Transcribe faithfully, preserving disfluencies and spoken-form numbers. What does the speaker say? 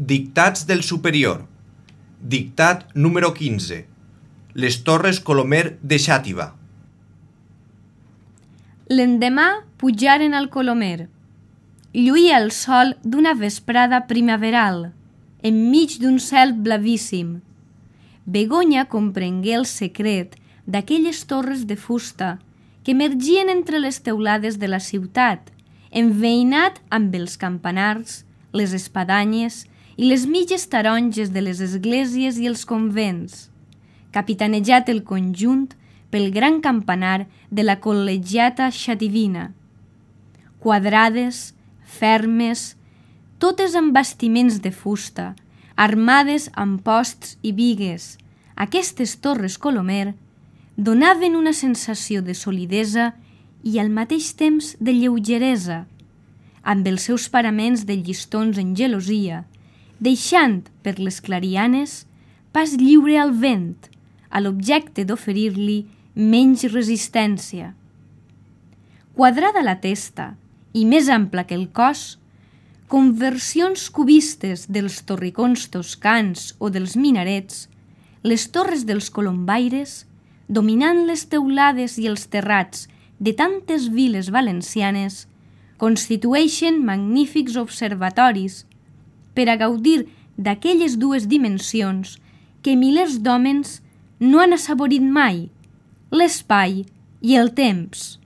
Dictats del superior. Dictat número quinze. Les Torres Colomer de Xàtiva. L'endemà pujaren al Colomer. Lluïa el sol d'una vesprada primaveral, enmig d'un cel blavíssim. Begoña comprengué el secret d'aquelles torres de fusta que emergien entre les teulades de la ciutat, enveïnat amb els campanars, les espadanyes i les mitges taronges de les esglésies i els convents, capitanejat el conjunt pel gran campanar de la col·legiata xativina. Quadrades, fermes, totes amb bastiments de fusta, armades amb posts i bigues, aquestes torres Colomer donaven una sensació de solidesa i al mateix temps de lleugeresa, amb els seus paraments de llistons en gelosia, deixant per les clarianes pas lliure al vent, a l'objecte d'oferir-li menys resistència. Quadrada la testa i més ampla que el cos, conversions cubistes dels torricons toscans o dels minarets, les torres dels colombaires, dominant les teulades i els terrats de tantes viles valencianes, constitueixen magnífics observatoris per a gaudir d'aquelles dues dimensions que milers d'hòmens no han assaborit mai, l'espai i el temps.